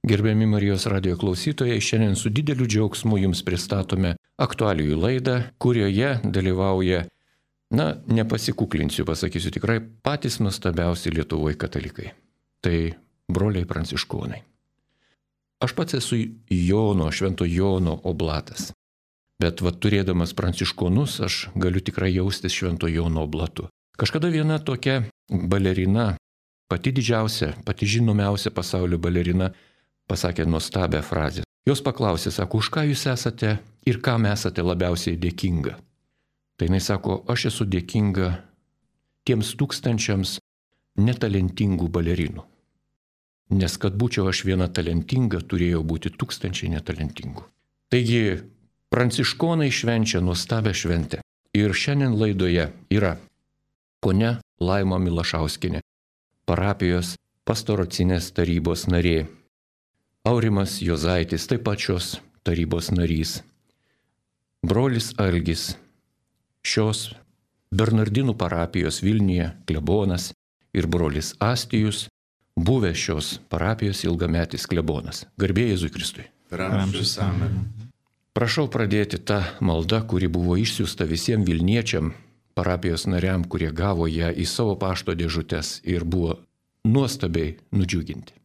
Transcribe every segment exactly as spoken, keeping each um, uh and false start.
Gerbiami Marijos radijo klausytojai, šiandien su dideliu džiaugsmu jums pristatome aktualijų laidą, kurioje dalyvauja, na, nepasikuklinsiu, pasakysiu tikrai, patys nuostabiausi Lietuvoje katalikai. Tai broliai pranciškonai. Aš pats esu Jono, Švento Jono oblatas, bet va, turėdamas pranciškonus, aš galiu tikrai jaustis Švento Jono oblatu. Kažkada viena tokia balerina, pati didžiausia, pati žinomiausia pasaulio balerina, pasakė nuostabią frazę. Jos paklausė, sako, už ką jūs esate ir kam esate labiausiai dėkinga. Tai jinai sako, aš esu dėkinga tiems tūkstančiams netalentingų balerinų. Nes kad būčiau aš viena talentinga, turėjo būti tūkstančiai netalentingų. Taigi, pranciškonai švenčia nuostabią šventę. Ir šiandien laidoje yra ponia Laima Milašauskienė, parapijos pastoracinės tarybos narė. Aurimas Jozaitis, taip pat šios tarybos narys. Brolis Algis, šios Bernardinų parapijos Vilniuje klebonas ir brolis Astijus, buvęs šios parapijos ilgametis klebonas. Garbė Jėzui Kristui. Per amžius amen. Prašau pradėti tą maldą, kuri buvo išsiųsta visiems Vilniečiam, parapijos nariam, kurie gavo ją į savo pašto dėžutes ir buvo nuostabiai nudžiuginti.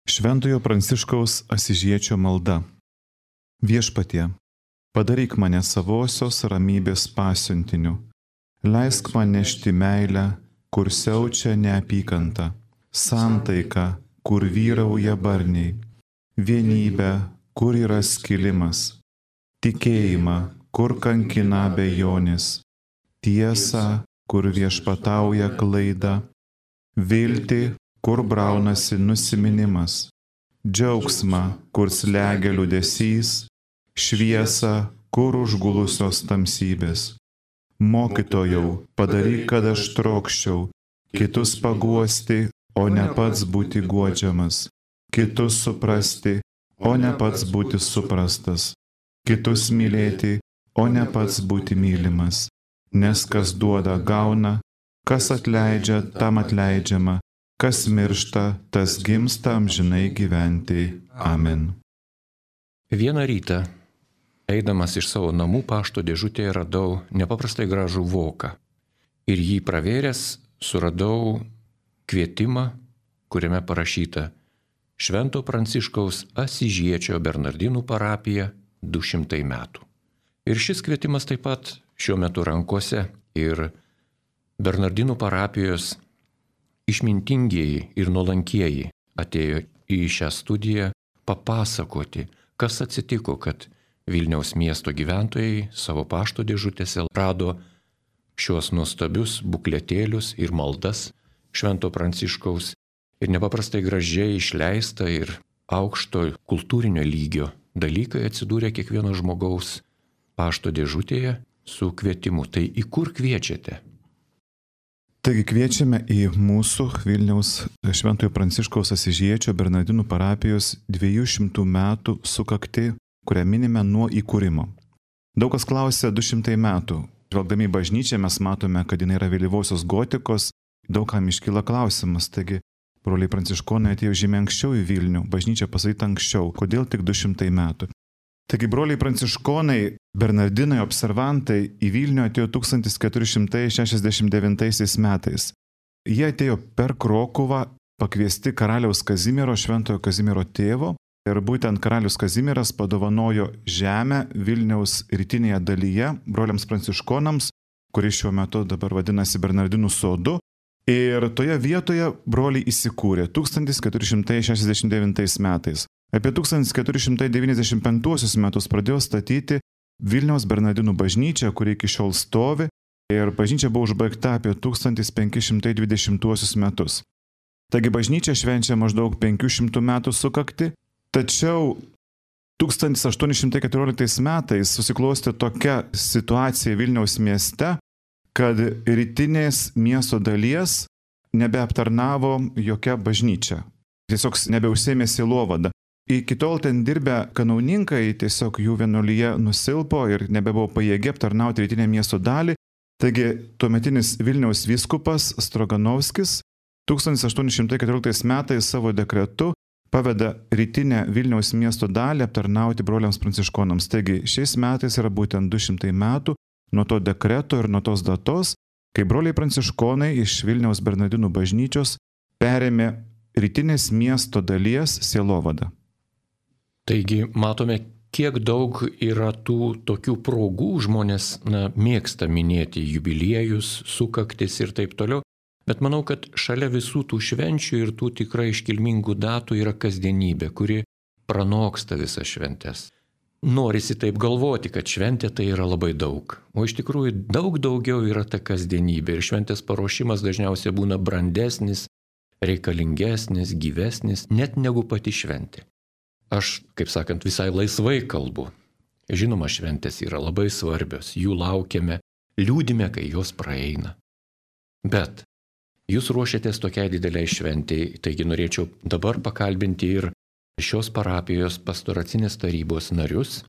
Šventojo Pranciškaus Asyžiečio malda. Viešpatie, padaryk mane savosios ramybės pasiuntiniu. Leisk man nešti meilę, kur siaučia neapykanta, santaiką, kur vyrauja barniai, vienybę, kur yra skilimas, tikėjimą, kur kankina abejonės, tiesą, kur viešpatauja klaida, viltį, kur braunasi nusiminimas, džiaugsmą, kur slegia liūdesys, šviesą, kur užgulusios tamsybės. Mokytojau, padaryk, kad aš trokščiau, kitus paguosti, o ne pats būti guodžiamas, kitus suprasti, o ne pats būti suprastas, kitus mylėti, o ne pats būti mylimas, nes kas duoda gauna, kas atleidžia, tam atleidžiama, kas miršta, tas gimsta amžinai gyventi. Amen. Vieną rytą, eidamas iš savo namų pašto dėžutėje, radau nepaprastai gražų voką. Ir jį pravėręs suradau kvietimą, kuriame parašyta Švento Pranciškaus Asyžiečio Bernardinų parapija du šimtai metų. Ir šis kvietimas taip pat šiuo metu rankose ir Bernardinų parapijos išmintingieji ir nuolankieji atėjo į šią studiją papasakoti, kas atsitiko, kad Vilniaus miesto gyventojai savo pašto dėžutėse rado šios nuostabius bukletėlius ir maldas Švento Pranciškaus ir nepaprastai gražiai išleista ir aukšto kultūrinio lygio dalykai atsidūrė kiekvieno žmogaus pašto dėžutėje su kvietimu. Tai į kur kviečiate? Taigi kviečiame į mūsų Vilniaus Šventojo Pranciškaus Asyžiečio Bernardinų parapijos dviejų šimtų metų sukaktį, kurią minime nuo įkūrimo. Daug kas klausia du šimtai metų. Žvelgdami į bažnyčią mes matome, kad jinai yra vėlyvosios gotikos, daug kam iškyla klausimas. Taigi, broliai pranciškonai atėjo žymiai anksčiau į Vilnių, bažnyčia pastatyta anksčiau, kodėl tik du šimtai metų. Taigi, broliai pranciškonai, Bernardinai observantai į Vilnių atėjo tūkstantis keturi šimtai šešiasdešimt devintaisiais metais. Jie atėjo per Krokuvą, pakviesti karaliaus Kazimiero, Šventojo Kazimiero tėvo, ir būtent karalius Kazimieras padovanojo žemę Vilniaus rytinėje dalyje broliams pranciškonams, kuris šiuo metu dabar vadinasi Bernardinų sodu. Ir toje vietoje broliai įsikūrė tūkstantis keturi šimtai šešiasdešimt devintais metais. Apie tūkstantis keturi šimtai devyniasdešimt penktuosius metus pradėjo statyti Vilniaus Bernardinų bažnyčią, kuri iki šiol stovi, ir bažnyčia buvo užbaigta apie tūkstantis penki šimtai dvidešimtuosius metus. Taigi bažnyčia švenčia maždaug penkių šimtų metų sukakti, tačiau tūkstantis aštuoni šimtai keturioliktais metais susiklostė tokia situacija Vilniaus mieste, kad rytinės miesto dalies nebeaptarnavo jokia bažnyčia. Tiesiog nebeužsėmė sielovada. Iki tol ten dirbę kanauninkai tiesiog jų vienuolyje nusilpo ir nebebuvo pajėgi aptarnauti rytinę miesto dalį. Taigi tuometinis Vilniaus vyskupas Stroganovskis tūkstantis aštuoni šimtai keturioliktais metais savo dekretu paveda rytinę Vilniaus miesto dalį aptarnauti broliams pranciškonams. Taigi šiais metais yra būtent du šimtai metų nuo to dekreto ir nuo tos datos, kai broliai pranciškonai iš Vilniaus Bernardinų bažnyčios perėmė rytinės miesto dalies sielovadą. Taigi matome, kiek daug yra tų tokių progų, žmonės na, mėgsta minėti jubiliejus, sukaktis ir taip toliau, bet manau, kad šalia visų tų švenčių ir tų tikrai iškilmingų datų yra kasdienybė, kuri pranoksta visas šventes. Norisi taip galvoti, kad šventė tai yra labai daug, o iš tikrųjų daug daugiau yra ta kasdienybė ir šventės paruošimas dažniausiai būna brandesnis, reikalingesnis, gyvesnis, net negu pati šventė. Aš, kaip sakant, visai laisvai kalbu. Žinoma, šventės yra labai svarbios, jų laukiame, liūdime, kai jos praeina. Bet jūs ruošiatės tokiai dideliai šventėjai, taigi norėčiau dabar pakalbinti ir šios parapijos pastoracinės tarybos narius,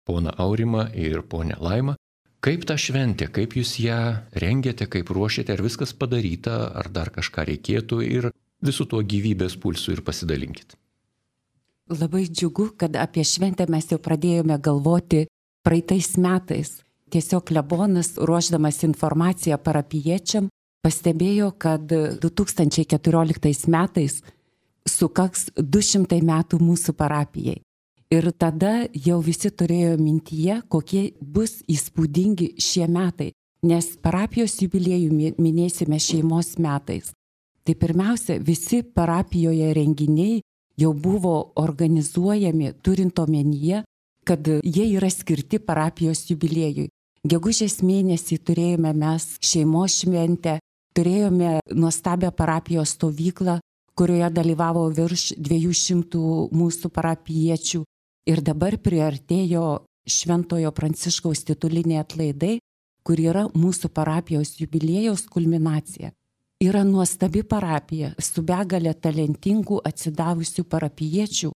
poną Aurimą ir ponę Laimą, kaip ta šventė, kaip jūs ją rengiate, kaip ruošiate, ar viskas padaryta, ar dar kažką reikėtų ir visų tuo gyvybės pulsų ir pasidalinkit. Labai džiugu, kad apie šventę mes jau pradėjome galvoti praeitais metais. Tiesiog klebonas, ruošdamas informaciją parapijiečiam, pastebėjo, kad du tūkstančiai keturioliktais metais sukaks du šimtai metų mūsų parapijai. Ir tada jau visi turėjo mintyje, kokie bus įspūdingi šie metai, nes parapijos jubiliejų minėsime šeimos metais. Tai pirmiausia, visi parapijoje renginiai jau buvo organizuojami turint omenyje, kad jie yra skirti parapijos jubiliejui. Gegužės mėnesį turėjome mes šeimos šventę, turėjome nuostabią parapijos stovyklą, kurioje dalyvavo virš dviejų šimtų mūsų parapijiečių. Ir dabar priartėjo Šventojo Pranciškaus tituliniai atlaidai, kur yra mūsų parapijos jubiliejaus kulminacija. Yra nuostabi parapija su begalė talentingų atsidavusių parapijiečių,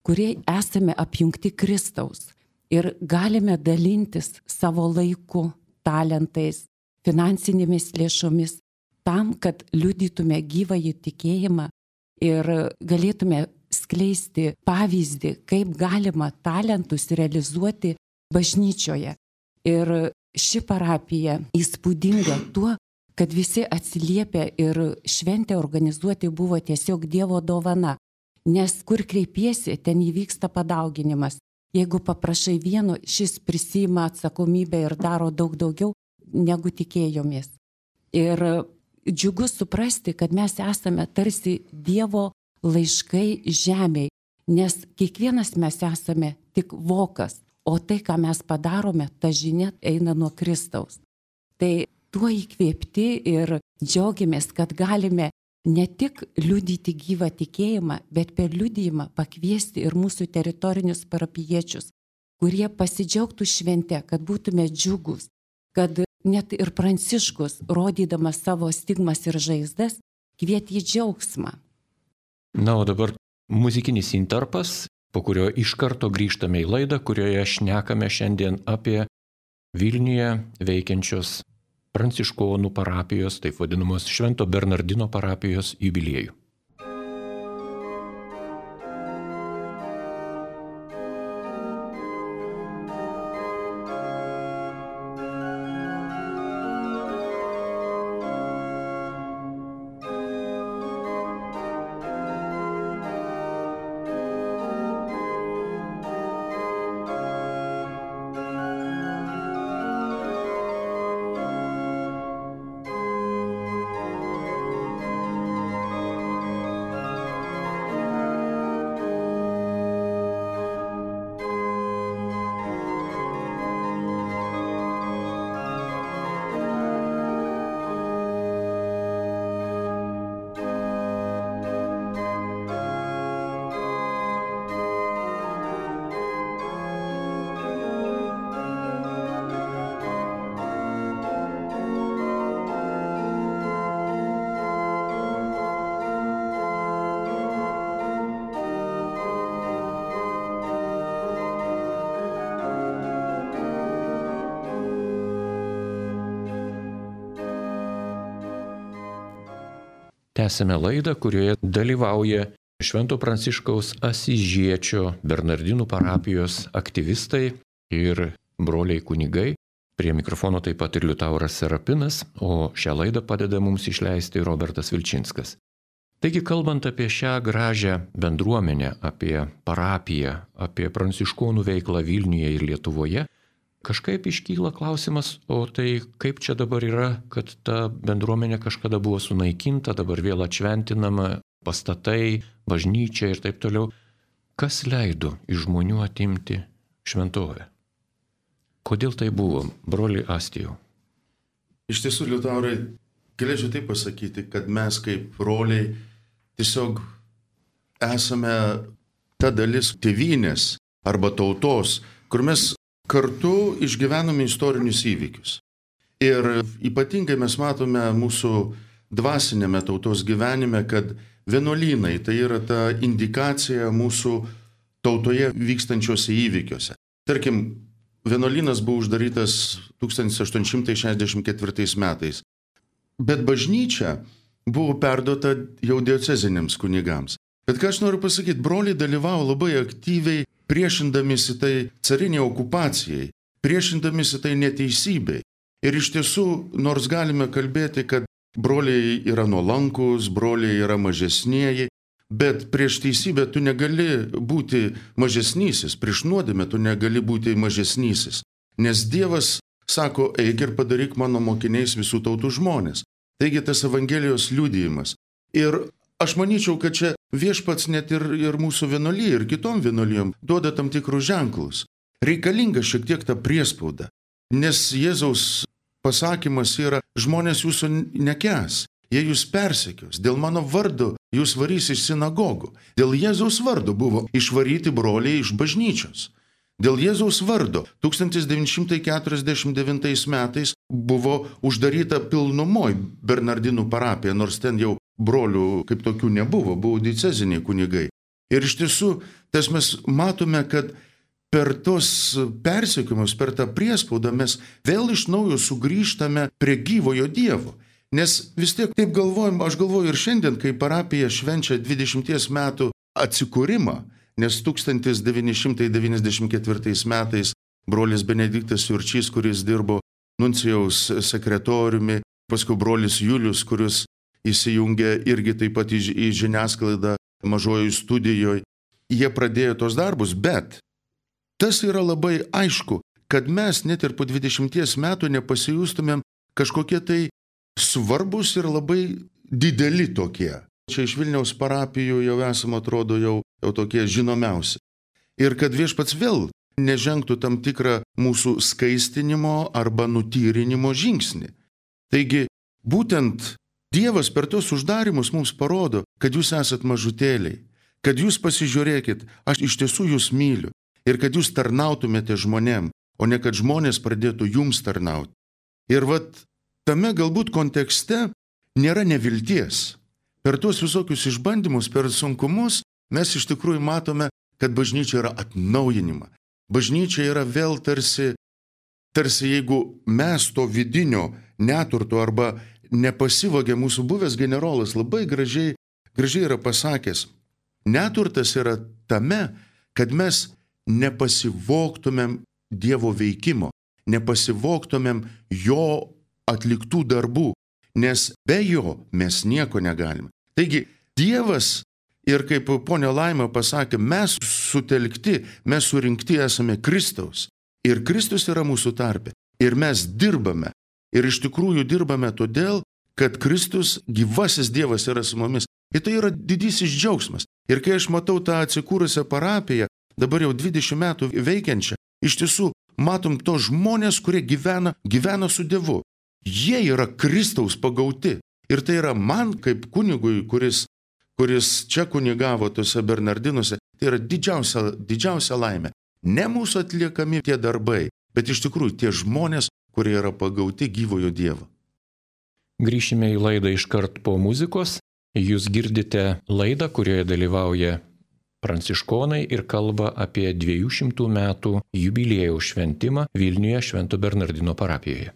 kurie esame apjungti Kristaus ir galime dalintis savo laiku, talentais, finansinėmis lėšomis tam, kad liudytume gyvąjį tikėjimą ir galėtume skleisti pavyzdį, kaip galima talentus realizuoti bažnyčioje. Ir ši parapija įspūdinga tuo, kad visi atsiliepė ir šventę organizuoti buvo tiesiog Dievo dovana, nes kur kreipiesi, ten įvyksta padauginimas. Jeigu paprašai vieno, šis prisiima atsakomybę ir daro daug daugiau, negu tikėjomės. Ir džiugu suprasti, kad mes esame tarsi Dievo laiškai žemėj, nes kiekvienas mes esame tik vokas, o tai, ką mes padarome, ta žinia eina nuo Kristaus. Tai tuo įkvėpti ir džiaugiamės, kad galime ne tik liudyti gyvą tikėjimą, bet per liudijimą pakviesti ir mūsų teritorinius parapijiečius, kurie pasidžiaugtų švente, kad būtume džiugus, kad net ir Pranciškus, rodydamas savo stigmas ir žaizdas, kvietė į džiaugsmą. Na, o dabar muzikinis intarpas, po kurio iš karto grįžtame į laidą, kurioje šnekame šiandien apie Vilniuje veikiančios Pranciškonų parapijos, taip vadinamos Švento Bernardino parapijos jubiliejų. Tęsime laidą, kurioje dalyvauja Švento Pranciškaus Asyžiečio Bernardinų parapijos aktyvistai ir broliai kunigai. Prie mikrofono taip pat ir Liutauras Serapinas, o šią laidą padeda mums išleisti Robertas Vilčinskas. Taigi, kalbant apie šią gražią bendruomenę, apie parapiją, apie pranciškonų veiklą Vilniuje ir Lietuvoje, kažkaip iškyla klausimas, o tai kaip čia dabar yra, kad ta bendruomenė kažkada buvo sunaikinta, dabar vėl atšventinama, pastatai, bažnyčia ir taip toliau. Kas leido iš žmonių atimti šventovę? Kodėl tai buvo, broli Astijau? Iš tiesų, Liutaurai, galėčiau taip pasakyti, kad mes kaip broliai tiesiog esame ta dalis tėvynės arba tautos, kur mes kartu išgyvename istorinius įvykius. Ir ypatingai mes matome mūsų dvasinėme tautos gyvenime, kad vienuolynai tai yra ta indikacija mūsų tautoje vykstančiuose įvykiuose. Tarkim, vienuolynas buvo uždarytas tūkstantis aštuoni šimtai šešiasdešimt ketvirtais metais, bet bažnyčia buvo perduota jau dioceziniams kunigams. Bet ką aš noriu pasakyti, broliai dalyvavo labai aktyviai priešindamisi tai cariniai okupacijai, priešindamisi tai neteisybei. Ir iš tiesų, nors galime kalbėti, kad broliai yra nuolankus, broliai yra mažesnieji, bet prieš teisybę tu negali būti mažesnysis, prieš nuodėmę tu negali būti mažesnysis. Nes Dievas sako, eik ir padaryk mano mokiniais visų tautų žmonės. Taigi tas Evangelijos liudijimas. Ir aš manyčiau, kad čia viešpats net ir, ir mūsų vienuolijai, ir kitom vienuolijom duoda tam tikrus ženklus. Reikalinga šiek tiek ta priespauda, nes Jėzaus pasakymas yra, žmonės jūsų nekęs. Jie jūs persekios, dėl mano vardo jūs varys iš sinagogų. Dėl Jėzaus vardo buvo išvaryti broliai iš bažnyčios. Dėl Jėzaus vardo tūkstantis devyni šimtai keturiasdešimt devintais metais buvo uždaryta pilnumoj Bernardinų parapija, nors ten jau brolių kaip tokių nebuvo, buvo dieceziniai kunigai. Ir iš tiesų, tas mes matome, kad per tos persekiojimus, per tą priespaudą mes vėl iš naujo sugrįžtame prie gyvojo Dievo. Nes vis tiek taip galvojam, aš galvoju ir šiandien, kai parapija švenčia dvidešimties metų atsikūrimą, nes tūkstantis devyni šimtai devyniasdešimt ketvirtais metais brolis Benediktas Jurčys, kuris dirbo nuncijaus sekretoriumi, paskui brolis Julius, kuris įsijungė irgi taip pat į, į žiniasklaidą mažojoje studijoje, jie pradėjo tos darbus, bet tas yra labai aišku, kad mes net ir po dvidešimties metų nepasijustumėm kažkokie tai svarbus ir labai dideli tokie. Čia iš Vilniaus parapijų jau esame, atrodo, jau, jau tokie žinomiausi. Ir kad viešpats vėl nežengtų tam tikrą mūsų skaistinimo arba nutyrinimo žingsnį. Taigi, būtent Dievas per tos uždarimus mums parodo, kad jūs esat mažutėliai, kad jūs pasižiūrėkit, aš iš tiesų jūs myliu ir kad jūs tarnautumėte žmonėm, o ne kad žmonės pradėtų jums tarnauti. Ir vat tame galbūt kontekste nėra nevilties. Per tuos visokius išbandymus, per sunkumus mes iš tikrųjų matome, kad bažnyčia yra atnaujinima. Bažnyčia yra vėl tarsi, tarsi jeigu mes to vidinio neturto arba nepasivogė mūsų buvęs generolas, labai gražiai, gražiai yra pasakęs. Neturtas yra tame, kad mes nepasivogtumėm Dievo veikimo, nepasivogtumėm jo atliktų darbų, nes be jo mes nieko negalime. Taigi, Dievas, ir kaip ponia Laima pasakė, mes sutelkti, mes surinkti esame Kristaus. Ir Kristus yra mūsų tarpe. Ir mes dirbame. Ir iš tikrųjų dirbame todėl, kad Kristus, gyvasis Dievas, yra su mumis. Ir tai yra didysis džiaugsmas. Ir kai aš matau tą atsikūrusią parapiją, dabar jau dvidešimt metų veikiančią, iš tiesų matom to žmonės, kurie gyvena, gyvena su Dievu. Jie yra Kristaus pagauti. Ir tai yra man kaip kunigui, kuris, kuris čia kunigavo tose Bernardinuose, tai yra didžiausia, didžiausia laimė. Ne mūsų atliekami tie darbai, bet iš tikrųjų tie žmonės, kurie yra pagauti gyvojo Dievo. Grįšime į laidą iškart po muzikos. Jūs girdite laidą, kurioje dalyvauja pranciškonai ir kalba apie dviejų šimtų metų jubiliejaus šventimą Vilniuje Švento Bernardino parapijoje.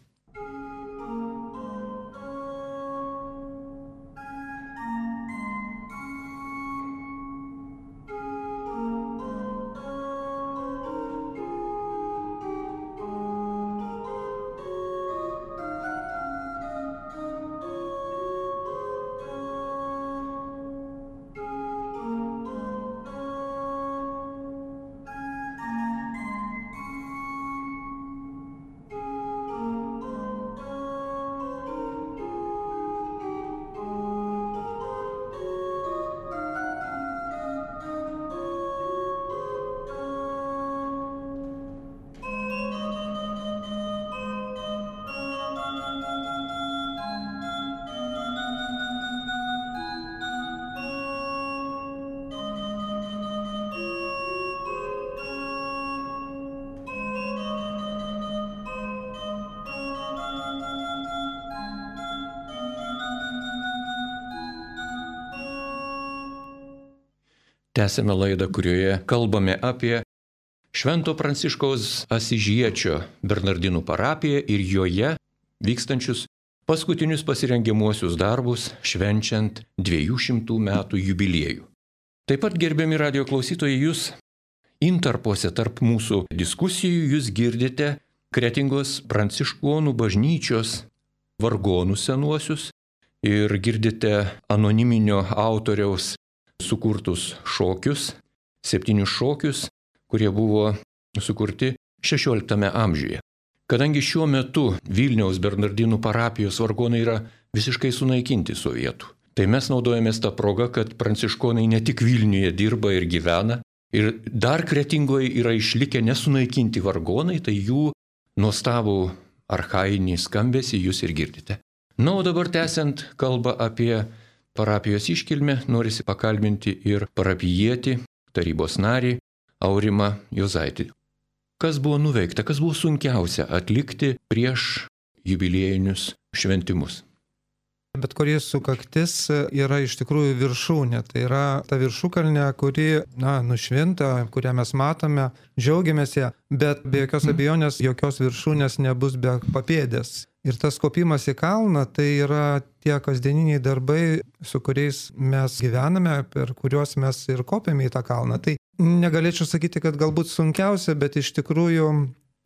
Tęsėme laidą, kurioje kalbame apie Švento Pranciškaus Asyžiečio Bernardinų parapiją ir joje vykstančius paskutinius pasirengiamuosius darbus švenčiant dviejų šimtų metų jubiliejų. Taip pat, gerbiami radio klausytojai, jūs intarpuose tarp mūsų diskusijų jūs girdite Kretingos Pranciškonų bažnyčios vargonus senuosius ir girdite anoniminio autoriaus sukurtus šokius, septynius šokius, kurie buvo sukurti šešioliktame amžiuje. Kadangi šiuo metu Vilniaus Bernardinų parapijos vargonai yra visiškai sunaikinti sovietų, tai mes naudojamės tą progą, kad pranciškonai ne tik Vilniuje dirba ir gyvena, ir dar Kretingoje yra išlikę nesunaikinti vargonai, tai jų nuostabų archainį skambesį jūs ir girdite. Na, o dabar tęsiant kalbą apie parapijos iškilmę, norisi pakalbinti ir parapijietį, tarybos narį Aurimą Juozaitį. Kas buvo nuveikta, kas buvo sunkiausia atlikti prieš jubiliejinius šventimus? Bet kuri sukaktis yra iš tikrųjų viršūnė. Tai yra ta viršukalnė, kuri, na, nušvinta, kurią mes matome, džiaugiamės ją, bet be jokios abejonės jokios viršūnės nebus be papėdės. Ir tas kopimas į kalną tai yra tie kasdieniniai darbai, su kuriais mes gyvename, per kuriuos mes ir kopiame į tą kalną. Tai negalėčiau sakyti, kad galbūt sunkiausia, bet iš tikrųjų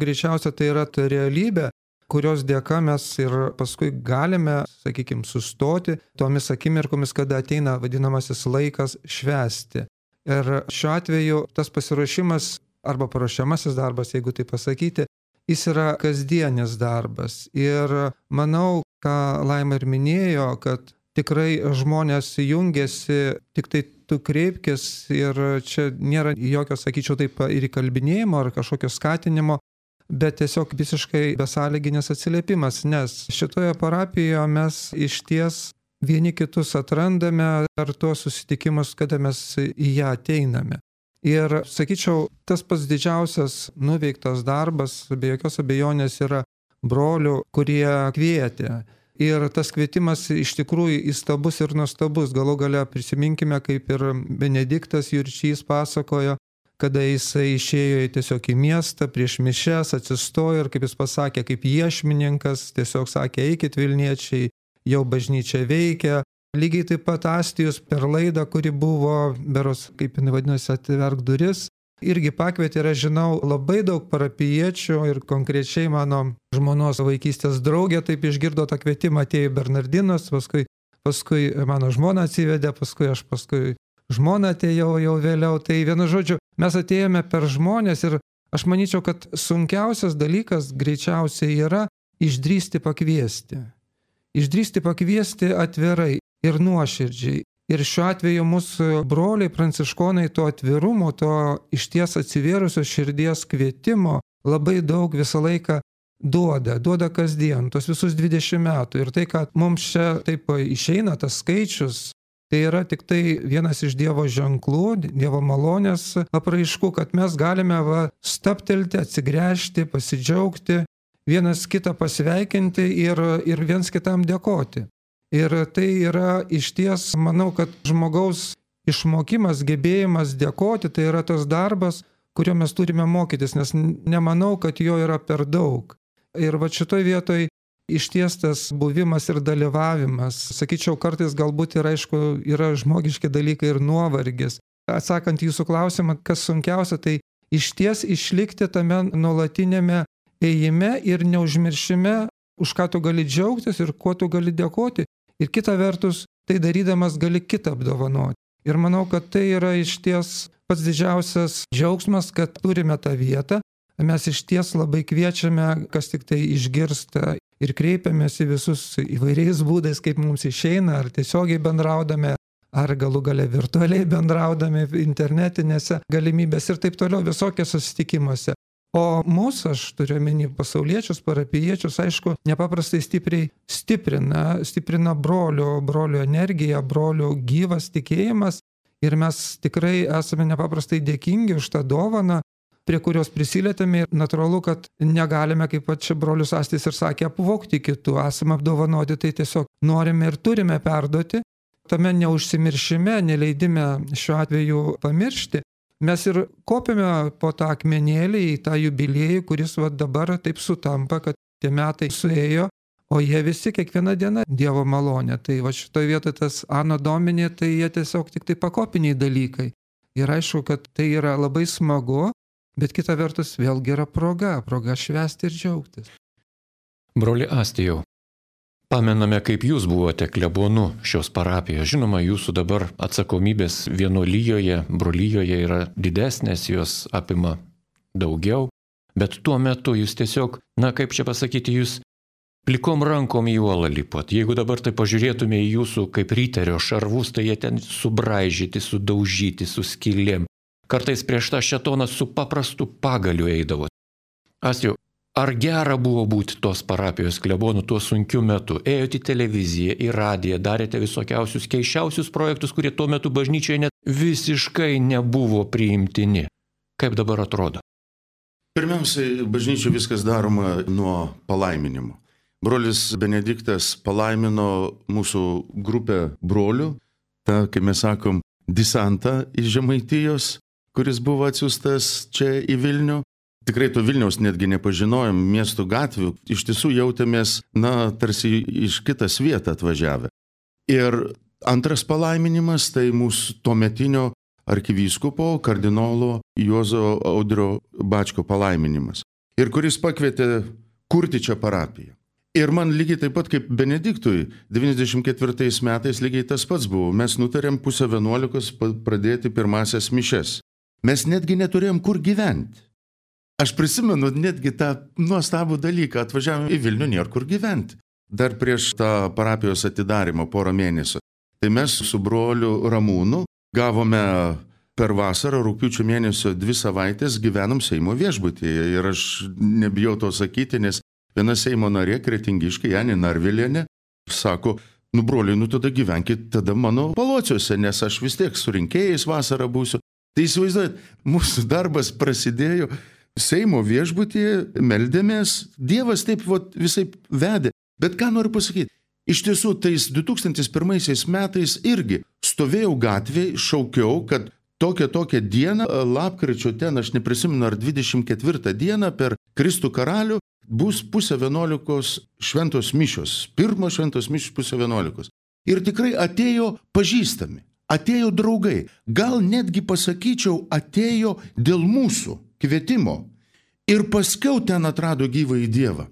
greičiausia tai yra ta realybė, kurios dėka mes ir paskui galime, sakykime, sustoti tomis akimirkomis, kada ateina vadinamasis laikas švęsti. Ir šiuo atveju tas pasiruošimas arba paruošiamasis darbas, jeigu tai pasakyti, jis yra kasdienis darbas. Ir manau, ką Laima ir minėjo, kad tikrai žmonės jungiasi, tik tai tu kreipkis ir čia nėra jokio, sakyčiau, taip ir įkalbinėjimo ar kažkokio skatinimo, bet tiesiog visiškai besąlyginis atsiliepimas, nes šitoje parapijoje mes išties vieni kitus atrandame per tuos susitikimus, kada mes į ją ateiname. Ir, sakyčiau, tas pats didžiausias nuveiktas darbas, be jokios abejonės, yra brolių, kurie kvietė. Ir tas kvietimas iš tikrųjų įstabus ir nuostabus. Galų gale prisiminkime, kaip ir Benediktas Jurčys pasakojo, kada jisai išėjo tiesiog į miestą prieš mišias, atsistojo ir, kaip jis pasakė, kaip iešmininkas, tiesiog sakė, eikit Vilniečiai, jau bažnyčia veikia. Lygiai taip pat Astijus per laidą, kuri buvo, beros, kaip jinai vadinosi, Atverk duris, irgi pakvietė, ir aš žinau, labai daug parapijiečių ir konkrečiai mano žmonos vaikystės draugė taip išgirdo tą kvietimą, atėjo Bernardinas, paskui, paskui mano žmona atsivedė, paskui aš paskui žmona atėjau jau vėliau. Tai vienu žodžiu, mes atėjome per žmonės ir aš manyčiau, kad sunkiausias dalykas greičiausiai yra išdrįsti pakviesti. Išdrįsti pakviesti atvirai ir nuoširdžiai. Ir šiuo atveju mūsų broliai pranciškonai to atvirumo, to išties atsivėrusios širdies kvietimo labai daug visą laiką duoda, duoda kasdien, tos visus dvidešimt metų. Ir tai, kad mums čia taip išeina tas skaičius, tai yra tik tai vienas iš Dievo ženklų, Dievo malonės apraiškų, kad mes galime va, staptelti, atsigręžti, pasidžiaugti, vienas kitą pasveikinti ir, ir viens kitam dėkoti. Ir tai yra išties, manau, kad žmogaus išmokimas, gebėjimas dėkoti, tai yra tas darbas, kurio mes turime mokytis, nes nemanau, kad jo yra per daug. Ir va šitoj vietoj išties tas buvimas ir dalyvavimas, sakyčiau, kartais galbūt ir aišku, yra žmogiški dalykai ir nuovargis. Atsakant jūsų klausimą, kas sunkiausia, tai išties išlikti tame nuolatinėme ėjime ir neužmiršime, už ką tu gali džiaugtis ir kuo tu gali dėkoti. Ir kita vertus, tai darydamas gali kitą apdovanoti. Ir manau, kad tai yra išties pats didžiausias džiaugsmas, kad turime tą vietą. Mes išties labai kviečiame, kas tik tai išgirsta ir kreipiamės į visus įvairiais būdais, kaip mums išeina, ar tiesiogiai bendraudame, ar galų gale virtualiai bendraudami internetinėse galimybės ir taip toliau visokiose susitikimuose. O mūsų, aš turiu omeny pasauliečius, parapijiečius, aišku, nepaprastai stipriai stiprina, stiprina brolių, brolių energiją, brolių gyvas tikėjimas. Ir mes tikrai esame nepaprastai dėkingi už tą dovaną, prie kurios prisilietėme. Ir natūralu, kad negalime, kaip čia brolius Astis ir sakė, apvogti kitų, esame apdovanoti, tai tiesiog norime ir turime perduoti. tame neužsimiršime, neleidime šiuo atveju pamiršti, mes ir kopiame po tą akmenėlį į tą jubiliejų, kuris va dabar taip sutampa, kad tie metai suėjo, o jie visi kiekvieną dieną Dievo malonė. Tai va šitoje vietoje tas Anno Domini, tai jie tiesiog tik tai pakopiniai dalykai. Ir aišku, kad tai yra labai smagu, bet kita vertus vėlgi yra proga, proga švęsti ir džiaugtis. Broli Astijau, pamename, kaip jūs buvote klebonu šios parapijos. Žinoma, jūsų dabar atsakomybės vienuolijoje, brolyjoje yra didesnės, jos apima daugiau, bet tuo metu jūs tiesiog, na kaip čia pasakyti, jūs plikom rankom į uolą lipot. Jeigu dabar tai pažiūrėtume į jūsų kaip ryterio šarvus, tai jie ten subraižyti, sudaužyti, su skylėm. Kartais prieš tą šetoną su paprastu pagaliu eidavo. Astijau, ar gera buvo būti tos parapijos klebonu tuo sunkiu metu? Ėjote į televiziją, į radiją, darėte visokiausius keiščiausius projektus, kurie tuo metu bažnyčioje net visiškai nebuvo priimtini. Kaip dabar atrodo? Pirmiausiai, bažnyčioje viskas daroma nuo palaiminimo. Brolis Benediktas palaimino mūsų grupę brolių, tą, kaip mes sakom, disantą iš Žemaitijos, kuris buvo atsiųstas čia į Vilnių. Tikrai to Vilniaus netgi nepažinojom, miestų gatvių, iš tiesų jautėmės, na, tarsi iš kitas vietą atvažiavę. Ir antras palaiminimas, tai mūsų tuometinio arkivyskupo, kardinolo Juozo Audrio Bačko palaiminimas. Ir kuris pakvietė kurti čia parapiją. Ir man lygiai taip pat kaip Benediktui, devyniasdešimt ketvirtais metais lygiai tas pats buvo. Mes nutarėm pusę vienuolikos pradėti pirmasias mišes. Mes netgi neturėjom kur gyventi. Aš prisimenu netgi tą nuostabų dalyką, atvažiavome į Vilnių, nėra kur gyventi. Dar prieš tą parapijos atidarimą porą mėnesių. Tai mes su broliu Ramūnu gavome per vasarą, rugpjūčio mėnesio dvi savaitės gyvenom Seimo viešbutyje. Ir aš nebijau to sakyti, nes viena Seimo narė, Kretingiškė, Janė Narvilienė, sako, nu broliai, nu tada gyvenkit tada mano palociuose, nes aš vis tiek su rinkėjais vasarą būsiu. Tai įsivaizduojat, mūsų darbas prasidėjo Seimo viešbutyje, meldėmės, Dievas taip vat, visai vedė. Bet ką noriu pasakyti, iš tiesų tais du tūkstančiai pirmaisiais metais irgi stovėjau gatvėje, šaukiau, kad tokią tokią dieną, lapkričio ten, aš neprisimenu, ar dvidešimt ketvirtą dieną per Kristų karalių bus pusę vienuolikos šventos mišios, pirmos šventos mišios pusę vienuolikos. Ir tikrai atėjo pažįstami, atėjo draugai, gal netgi pasakyčiau, atėjo dėl mūsų kvietimo. Ir paskiau ten atrado gyvąjį Dievą.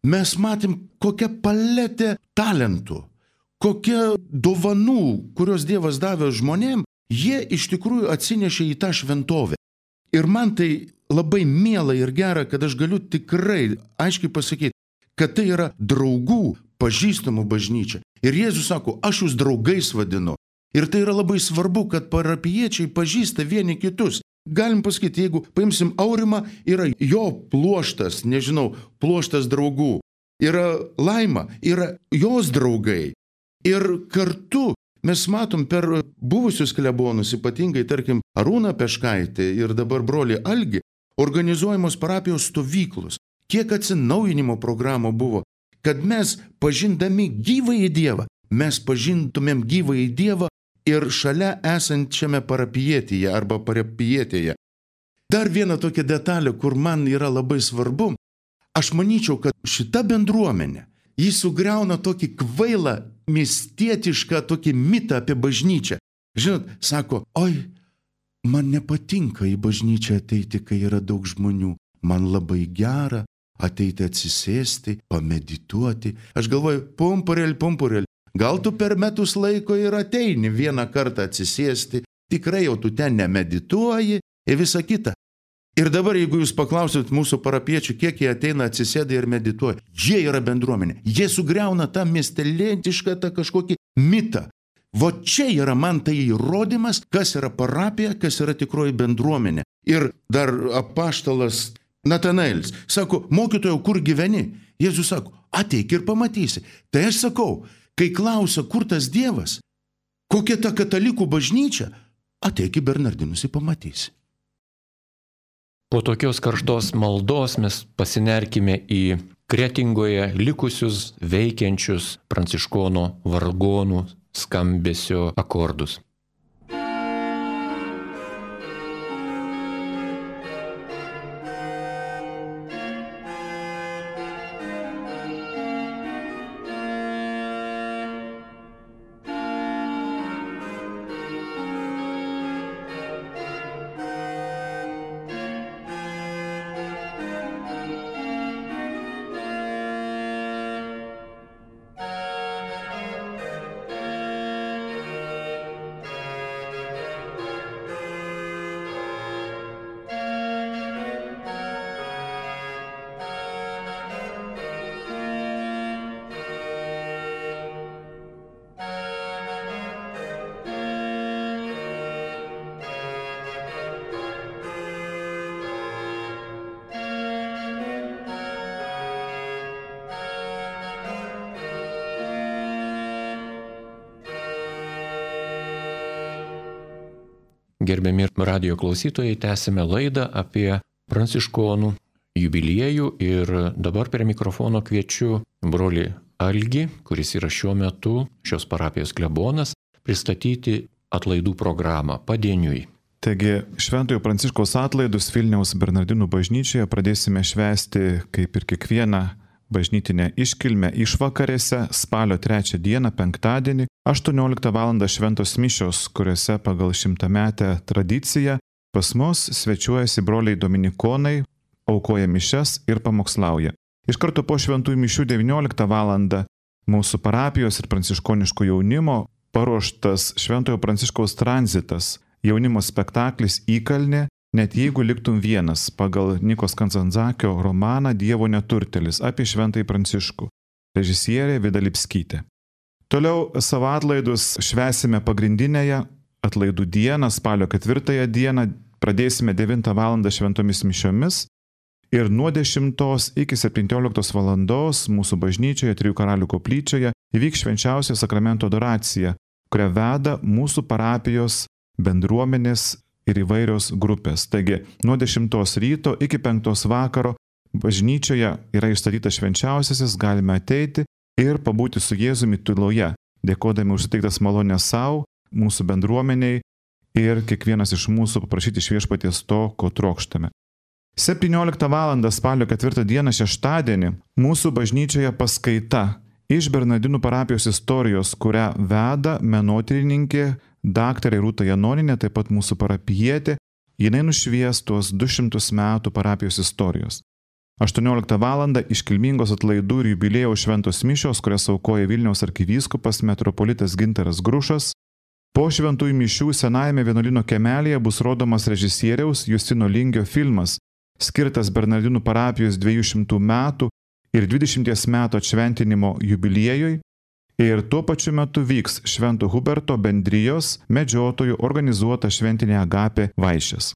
Mes matėm, kokia paletė talentų, kokia dovanų, kurios Dievas davė žmonėm, jie iš tikrųjų atsinešė į tą šventovę. Ir man tai labai miela ir gera, kad aš galiu tikrai aiškiai pasakyti, kad tai yra draugų, pažįstamų bažnyčia. Ir Jėzus sako, aš jūs draugais vadinu. Ir tai yra labai svarbu, kad parapijiečiai pažįsta vieni kitus. Galim pasakyti, jeigu paimsim Aurimą, yra jo pluoštas, nežinau, pluoštas draugų. Yra Laima, yra jos draugai. Ir kartu mes matom per buvusius klebonus, ypatingai, tarkim, Arūną Peškaitį ir dabar brolį Algį, organizuojamos parapijos stovyklos. Kiek atsinaujinimo programų buvo, kad mes pažindami gyvąjį Dievą, mes pažintumėm gyvąjį Dievą ir šalia esančiame parapijietėje arba parapijietėje. Dar viena tokia detalė, kur man yra labai svarbu, aš manyčiau, kad šita bendruomenė, jis sugriauna tokį kvailą, miestietišką tokį mitą apie bažnyčią. Žinot, sako, oi, man nepatinka į bažnyčią ateiti, kai yra daug žmonių. Man labai gera ateiti atsisėsti, pamedituoti. Aš galvoju, pumpurėl, pumpurėl. Gal tu per metus laiko ir ateini vieną kartą atsisėsti, tikrai jau tu ten nemedituoji ir visa kita. Ir dabar, jeigu jūs paklausit mūsų parapiečių, kiek jie ateina atsisėda ir medituoja, jie yra bendruomenė. Jie sugriauna tą miestelėtišką, tą kažkokį mitą. Vo čia yra man tai įrodymas, kas yra parapija, kas yra tikroji bendruomenė. Ir dar apaštalas Natanaelis sako, mokytojau, kur gyveni? Jėzus sako, ateik ir pamatysi. Tai aš sakau, kai klausia, kur tas Dievas, kokia ta katalikų bažnyčia, ateik į Bernardinus ir pamatysi. Po tokios karštos maldos mes pasinerkime į Kretingoje likusius veikiančius pranciškonų vargonų skambesio akordus. Gerbiami radio klausytojai, tęsime laidą apie pranciškonų jubiliejų ir dabar prie mikrofono kviečiu brolį Algį, kuris yra šiuo metu šios parapijos klebonas, pristatyti atlaidų programą padieniui. Taigi, Šventojo Pranciškaus atlaidus Vilniaus Bernardinų bažnyčioje pradėsime švęsti kaip ir kiekvieną bažnytinę iškilmę išvakarėse spalio trečią dieną, penktadienį, aštuonioliktą valandą šventos mišios, kuriuose pagal šimtametę tradiciją pas mus svečiuojasi broliai dominikonai, aukoja mišias ir pamokslauja. Iš karto po šventųjų mišių devynioliktą valandą mūsų parapijos ir pranciškoniško jaunimo paruoštas Šventojo Pranciškaus tranzitas, jaunimo spektaklis Įkalnė, net jeigu liktum vienas, pagal Nikos Kanzanzakio romaną Dievo neturtelis apie Šventąjį Pranciškų, režisierė Vida Lipskytė. Toliau savo atlaidus švęsime pagrindinėje atlaidų dieną, spalio ketvirtąją dieną, pradėsime devintą valandą šventomis mišiomis ir nuo dešimtos iki septynioliktos valandos mūsų bažnyčioje, Trijų karalių koplyčioje, įvyks švenčiausio sakramento adoracija, kurią veda mūsų parapijos bendruomenės ir įvairios grupės. Taigi, nuo dešimtos ryto iki penktos vakaro bažnyčioje yra išstatytas švenčiausiasis, galime ateiti ir pabūti su Jėzumi tyloje, dėkodami už suteiktas malonės savo, mūsų bendruomeniai ir kiekvienas iš mūsų paprašyti iš Viešpaties to, ko trokštame. septynioliktą valandą spalio ketvirtą dieną šeštadienį mūsų bažnyčioje paskaita iš Bernardinų parapijos istorijos, kurią veda menotyrininkė daktarė Rūta Janoninė, taip pat mūsų parapijietė, jinai nušvies tuos du šimtus metų parapijos istorijos. aštuonioliktą valandą iškilmingos atlaidų ir jubiliejaus šventos mišios, kurias aukoja Vilniaus arkivyskupas metropolitas Gintaras Grušas. Po šventųjų mišių senajame vienuolyno kiemelėje bus rodomas režisieriaus Justino Lingio filmas, skirtas Bernardinų parapijos dviejų šimtų metų ir dvidešimties metų atšventinimo jubiliejui. Ir tuo pačiu metu vyks Švento Huberto bendrijos medžiotojų organizuota šventinė agapė vaišės.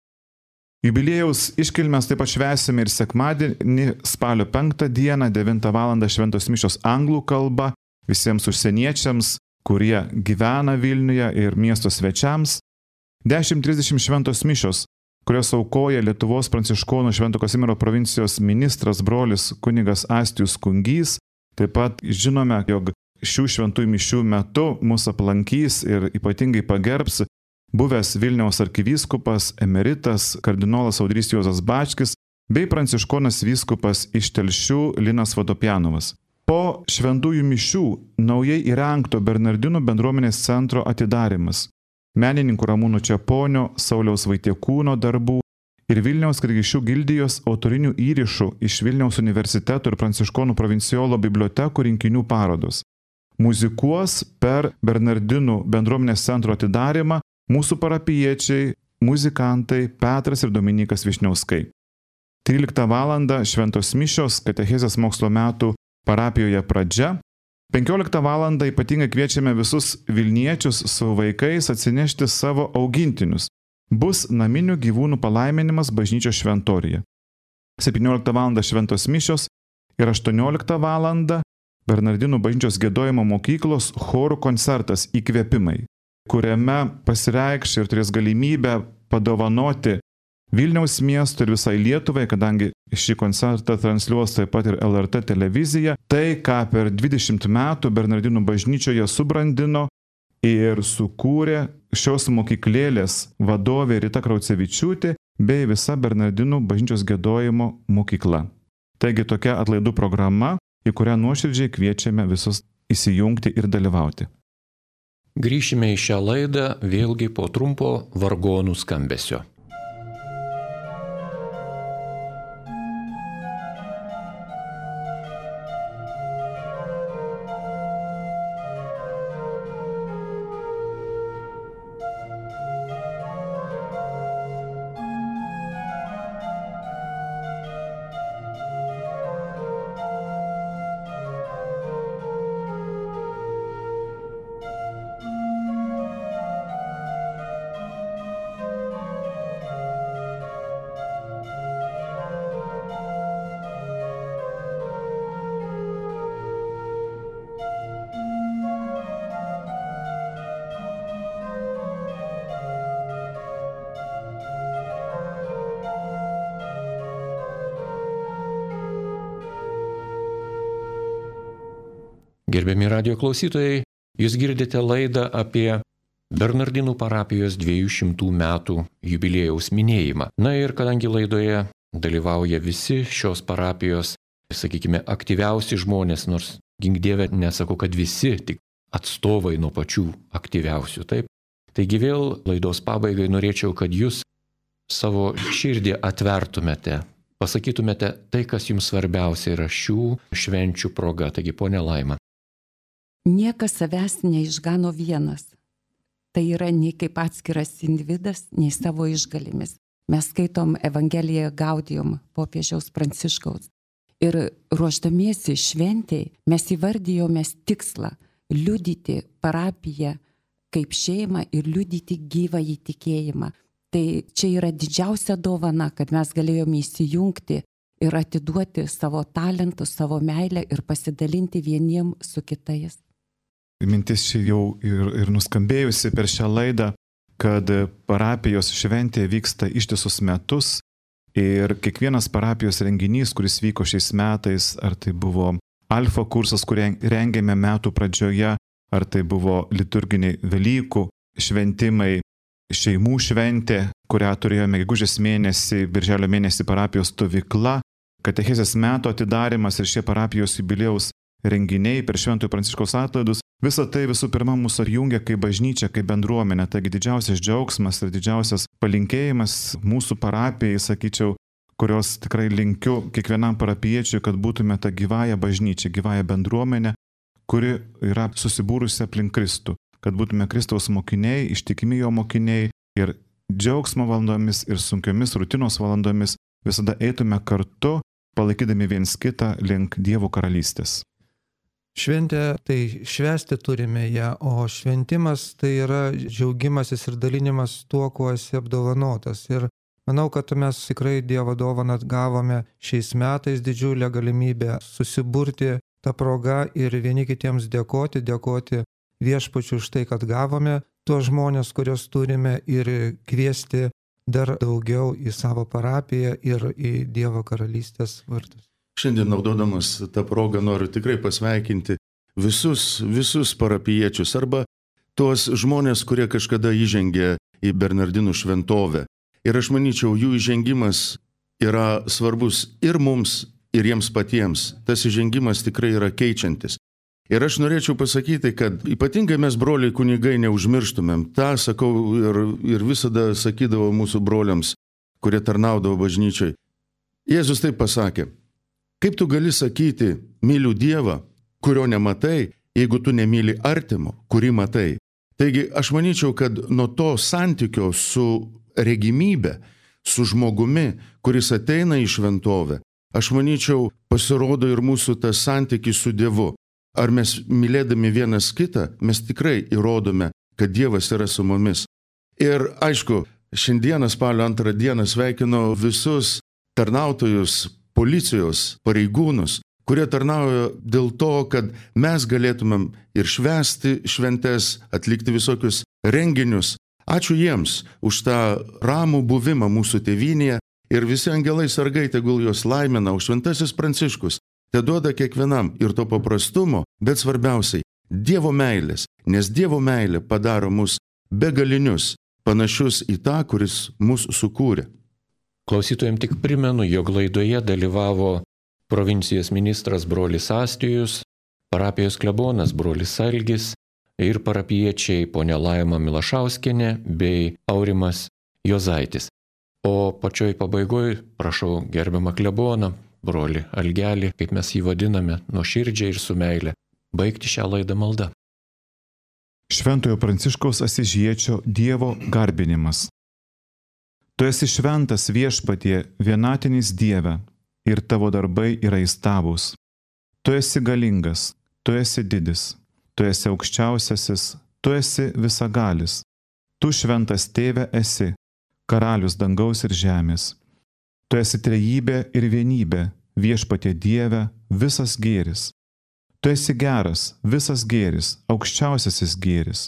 Jubiliejaus iškilmes taip pat švęsime ir sekmadienį spalio penktą dieną, devintą valandą šventos mišios anglų kalba visiems užsieniečiams, kurie gyvena Vilniuje ir miesto svečiams. dešimt trisdešimt šventos mišios, kurios aukoja Lietuvos pranciškonų Švento Kazimiero provincijos ministras brolis kunigas Astijus Kungys. Taip pat žinome, jog šių šventųjų mišių metu mus aplankys ir ypatingai pagerbs buvęs Vilniaus arkivyskupas emeritas kardinolas Audrys Juozas Bačkis bei pranciškonas vyskupas iš Telšių Linas Vodopjanovas. Po šventųjų mišių naujai įrengto Bernardinų bendruomenės centro atidarimas, menininkų Ramūno Čeponio, Sauliaus Vaitiekūno darbų ir Vilniaus Krigišių gildijos autorinių įrašų iš Vilniaus universiteto ir pranciškonų provincijolo bibliotekų rinkinių parodos. Muzikuos per Bernardinų bendruomenės centro atidarimą mūsų parapijiečiai, muzikantai Petras ir Dominikas Višniauskai. tryliktą valandą šventos mišios katechezės mokslo metų parapijoje pradžia. penkioliktą valandą ypatingai kviečiame visus Vilniečius su vaikais atsinešti savo augintinius. Bus naminių gyvūnų palaiminimas bažnyčios šventoriuje. septynioliktą valandą šventos mišios ir aštuonioliktą valandą Bernardinų bažnyčios giedojimo mokyklos chorų koncertas Įkvėpimai, kuriame pasireikš ir turės galimybę padovanoti Vilniaus miesto ir visai Lietuvai, kadangi šį koncertą transliuos taip pat ir L R T televizija, tai, ką per dvidešimt metų Bernardinų bažnyčioje subrandino ir sukūrė šios mokyklėlės vadovė Rita Kraucevičiūtė bei visa Bernardinų bažnyčios giedojimo mokykla. Taigi tokia atlaidų programa, į kurią nuoširdžiai kviečiame visus įsijungti ir dalyvauti. Grįšime į šią laidą vėlgi po trumpo vargonų skambesio. Gerbiami radijo klausytojai, jūs girdite laidą apie Bernardinų parapijos dviejų šimtų metų jubiliejaus minėjimą. Na ir kadangi laidoje dalyvauja visi šios parapijos, sakykime, aktyviausi žmonės, nors gink Dieve nesakau, kad visi, tik atstovai nuo pačių aktyviausių, taip? Taigi vėl laidos pabaigai norėčiau, kad jūs savo širdį atvertumėte, pasakytumėte tai, kas jums svarbiausia yra šių švenčių proga. Taigi, ponia Laima. Niekas savęs neišgano vienas. Tai yra nei kaip atskiras individas, nei savo išgalimis. Mes skaitom Evangeliją Gaudium popiežiaus Pranciškaus. Ir ruošdamiesi šventėj mes įvardijome tikslą liudyti parapiją kaip šeimą ir liudyti gyvąjį tikėjimą. Tai čia yra didžiausia dovana, kad mes galėjome įsijungti ir atiduoti savo talentus, savo meilę ir pasidalinti vieniem su kitais. Mintis čia jau ir, ir nuskambėjusi per šią laidą, kad parapijos šventė vyksta ištisus metus ir kiekvienas parapijos renginys, kuris vyko šiais metais, ar tai buvo alfa kursas, kurį rengėme metų pradžioje, ar tai buvo liturginiai Velykų šventimai, šeimų šventė, kurią turėjome gegužės mėnesį, birželio mėnesį parapijos stovykla, katechezės metų atidarimas ir šie parapijos jubiliejaus renginiai per Šventojo Pranciškaus atlaidus, visa tai visų pirma mūsų apjungia kaip bažnyčia, kaip bendruomenė. Taigi didžiausias džiaugsmas ir didžiausias palinkėjimas mūsų parapijai, sakyčiau, kurios tikrai linkiu kiekvienam parapiečiui, kad būtume tą gyvąją bažnyčią, gyvąją bendruomenę, kuri yra susibūrusi aplink Kristų, kad būtume Kristaus mokiniai, ištikimi jo mokiniai ir džiaugsmo valandomis ir sunkiomis rutinos valandomis visada eitume kartu, palaikydami viens kitą link Dievo karalystės. Šventė, tai švęsti turime ją, o šventimas tai yra džiaugimasis ir dalinimas tuo, kuo esi apdovanotas. Ir manau, kad mes tikrai Dievo dovaną gavome šiais metais didžiulę galimybę susiburti tą progą ir vieni kitiems dėkoti, dėkoti viešpačiui už tai, kad gavome tuos žmonės, kuriuos turime, ir kviesti dar daugiau į savo parapiją ir į Dievo karalystės vartus. Šiandien naudodamas tą progą noriu tikrai pasveikinti visus, visus parapiečius arba tuos žmonės, kurie kažkada įžengė į Bernardinų šventovę. Ir aš manyčiau, jų įžengimas yra svarbus ir mums, ir jiems patiems. Tas įžengimas tikrai yra keičiantis. Ir aš norėčiau pasakyti, kad ypatingai mes broliai kunigai neužmirštumėm. Ta sakau ir, ir visada sakydavo mūsų broliams, kurie tarnaudavo bažnyčiai. Jėzus taip pasakė: kaip tu gali sakyti, myliu Dievą, kurio nematai, jeigu tu nemyli artimo, kurį matai. Taigi aš manyčiau, kad nuo to santykio su regimybė, su žmogumi, kuris ateina į šventovę, aš manyčiau, pasirodo ir mūsų tas santykis su Dievu. Ar mes mylėdami vienas kitą, mes tikrai įrodome, kad Dievas yra su mumis. Ir aišku, šiandieną spalio antrą dieną sveikinu visus tarnautojus, policijos pareigūnus, kurie tarnauja dėl to, kad mes galėtumėm ir švęsti šventes, atlikti visokius renginius. Ačiū jiems už tą ramų buvimą mūsų tėvynėje ir visi angelai sargai tegul juos laimina, o šventasis Pranciškus te duoda kiekvienam ir to paprastumo, bet svarbiausiai Dievo meilės, nes Dievo meilė padaro mus begalinius, panašius į tą, kuris mus sukūrė. Klausytojams tik primenu, jog laidoje dalyvavo provincijos ministras brolis Astijus, parapijos klebonas brolis Algis ir parapiečiai ponia Laima Milašauskienė bei Aurimas Jozaitis. O pačioj pabaigoje prašau gerbiamą kleboną, brolį Algelį, kaip mes jį vadiname, nuoširdžiai ir su meile, baigti šią laidą maldą. Šventojo Pranciškaus Asyžiečio Dievo garbinimas. Tu esi šventas Viešpatie, vienatinis Dieve, ir tavo darbai yra įstabūs. Tu esi galingas, tu esi didis, tu esi aukščiausiasis, tu esi visagalis. Tu šventas Tėve esi, karalius dangaus ir žemės. Tu esi trejybė ir vienybė, Viešpatie Dieve, visas gėris. Tu esi geras, visas gėris, aukščiausiasis gėris,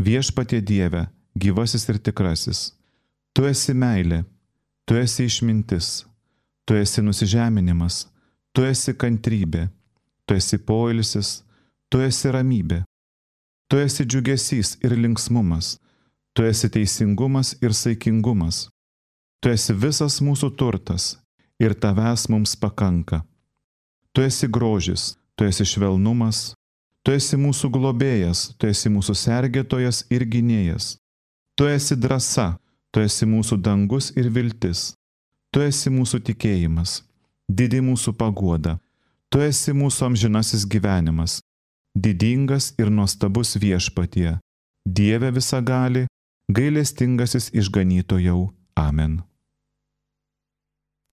Viešpatie Dieve, gyvasis ir tikrasis. Tu esi meilė, tu esi išmintis, tu esi nusižeminimas, tu esi kantrybė, tu esi poilsis, tu esi ramybė, tu esi džiugesys ir linksmumas, tu esi teisingumas ir saikingumas, tu esi visas mūsų turtas ir tavęs mums pakanka. Tu esi grožis, tu esi švelnumas, tu esi mūsų globėjas, tu esi mūsų sergėtojas ir gynėjas, tu esi drąsa, tu esi mūsų dangus ir viltis, tu esi mūsų tikėjimas, didi mūsų paguoda, tu esi mūsų amžinasis gyvenimas, didingas ir nuostabus Viešpatie, Dieve visagali, gailestingasis išganytojau. Amen.